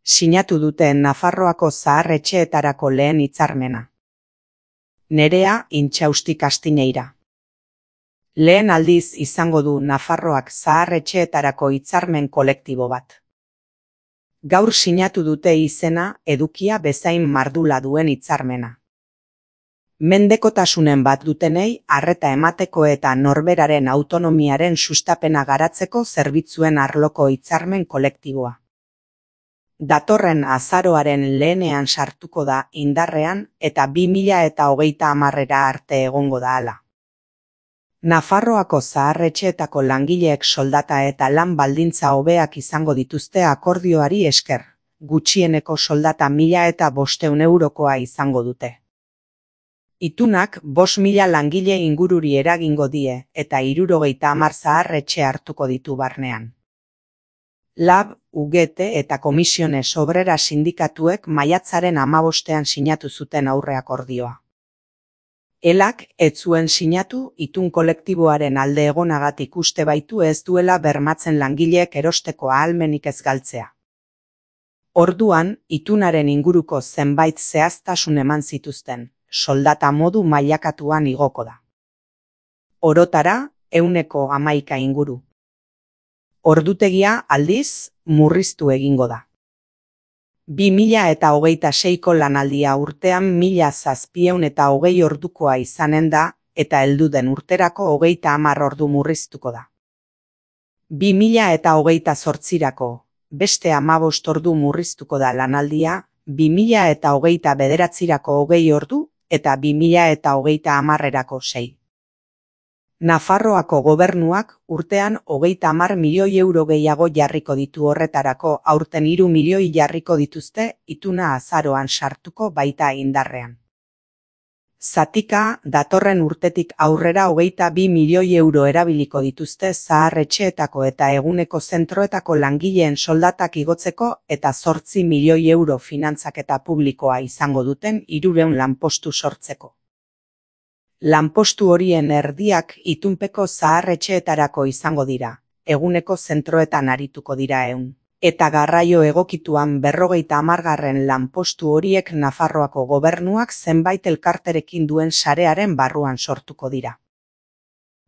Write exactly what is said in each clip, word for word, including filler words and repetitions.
Sinatu dute Nafarroako zahar-etxeetarako lehen hitzarmena. Nerea Intxausti Kastineira. Lehen aldiz izango du Nafarroak zahar-etxeetarako hitzarmen kolektibo bat. Gaur sinatu dute izena edukia bezain mardula duen hitzarmena. Mendekotasunen bat dutenei arreta emateko eta norberaren autonomiaren sustapena garatzeko zerbitzuen arloko hitzarmen kolektiboa. Datorren azaroaren lehenean sartuko da indarrean eta bi mila eta hogeita hamarera arte egongo da hala. Nafarroako zahar-etxeetako langileek soldata eta lan baldintza hobeak izango dituzte akordioari esker, gutxieneko soldata mila eta bostehun eurokoa izango dute. Itunak bost mila langile ingururi eragingo die eta hirurogeita hamar zahar-etxe hartuko ditu barnean. Lab, U G T eta Komisiones Obrera sindikatuek maiatzaren hamabostean sinatu zuten aurre akordioa. Elak ez zuen sinatu itun kolektiboaren alde egonagatik uste baitu ez duela bermatzen langileek erosteko ahalmenik ez galtzea. Orduan, itunaren inguruko zenbait zehaztasun eman zituzten, soldata modu mailakatuan igoko da. Orotara, ehuneko hamaika inguru. Ordutegia aldiz, murriztu egingo da. Bi mila eta hogeita seiko lanaldia urtean mila zazpiehun eta hogei ordukoa izanen da eta heldu den urterako hogeita hamar ordu murriztuko da. Bi mila eta hogeita zortzirako, beste hamabost ordu murriztuko da lanaldia, bi mila eta hogeita bederatzirako hogei ordu eta bi mila eta hogeita hamarrerako sei. Nafarroako gobernuak urtean hogeita hamar milioi euro gehiago jarriko ditu horretarako, aurten hiru milioi jarriko dituzte ituna azaroan sartuko baita indarrean. Zatika, datorren urtetik aurrera hogeita bi milioi euro erabiliko dituzte zahar-etxeetako eta eguneko zentroetako langileen soldatak igotzeko eta zortzi milioi euro finantzaketa publikoa izango duten hirurehun lanpostu sortzeko. Lanpostu horien erdiak itunpeko zahar-etxeetarako izango dira, eguneko zentroetan arituko dira ehun. Eta garraio egokituan berrogeita hamargarren lanpostu horiek Nafarroako gobernuak zenbait elkarterekin duen sarearen barruan sortuko dira.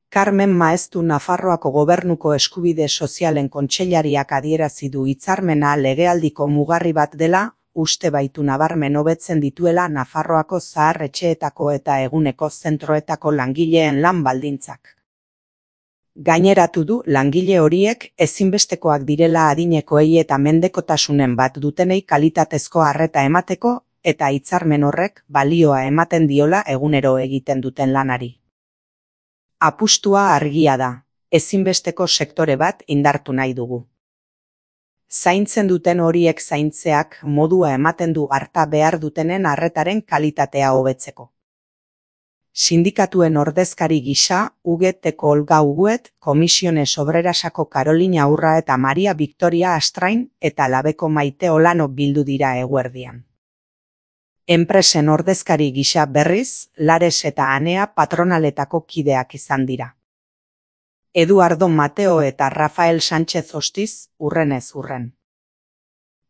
Carmen Maeztu Nafarroako gobernuko eskubide sozialen kontseilariak adierazi du hitzarmena legealdiko mugarri bat dela, uste baitu nabarmen hobetzen dituela Nafarroako zahar-etxeetako eta eguneko zentroetako langileen lan baldintzak. Gaineratu du langile horiek ezinbestekoak direla adinekoei eta mendekotasunen bat dutenei kalitatezko arreta emateko eta hitzarmen horrek balioa ematen diola egunero egiten duten lanari. Apustua argia da, ezinbesteko sektore bat indartu nahi dugu. Zaintzen duten horiek zaintzeak modua ematen du harta behar dutenen arretaren kalitatea hobetzeko. Sindikatuen ordezkari gisa, U G T-ko Olga Uguet, Komisiones Obrerasako Karolina Urra eta Maria Victoria Astrain eta Labeko Maite Olano bildu dira eguerdian. Enpresen ordezkari gisa berriz, Lares eta Anea patronaletako kideak izan dira. Eduardo Mateo eta Rafael Sánchez Ostiz, urrenez urren.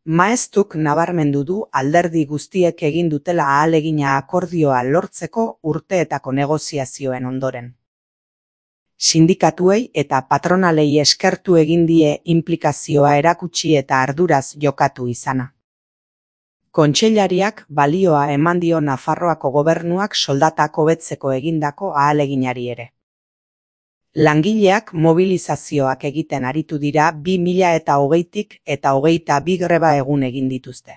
Maeztuk nabarmendu du alderdi guztiek egin dutela ahalegina akordioa lortzeko urteetako negoziazioen ondoren. Sindikatuei eta patronalei eskertu egin die inplikazioa erakutsi eta arduraz jokatu izana. Kontseilariak balioa eman dio Nafarroako gobernuak soldatak hobetzeko egindako ahaleginari ere. Langileak mobilizazioak egiten aritu dira bi mila eta hogeitik eta hogeita bi greba egun egin dituzte.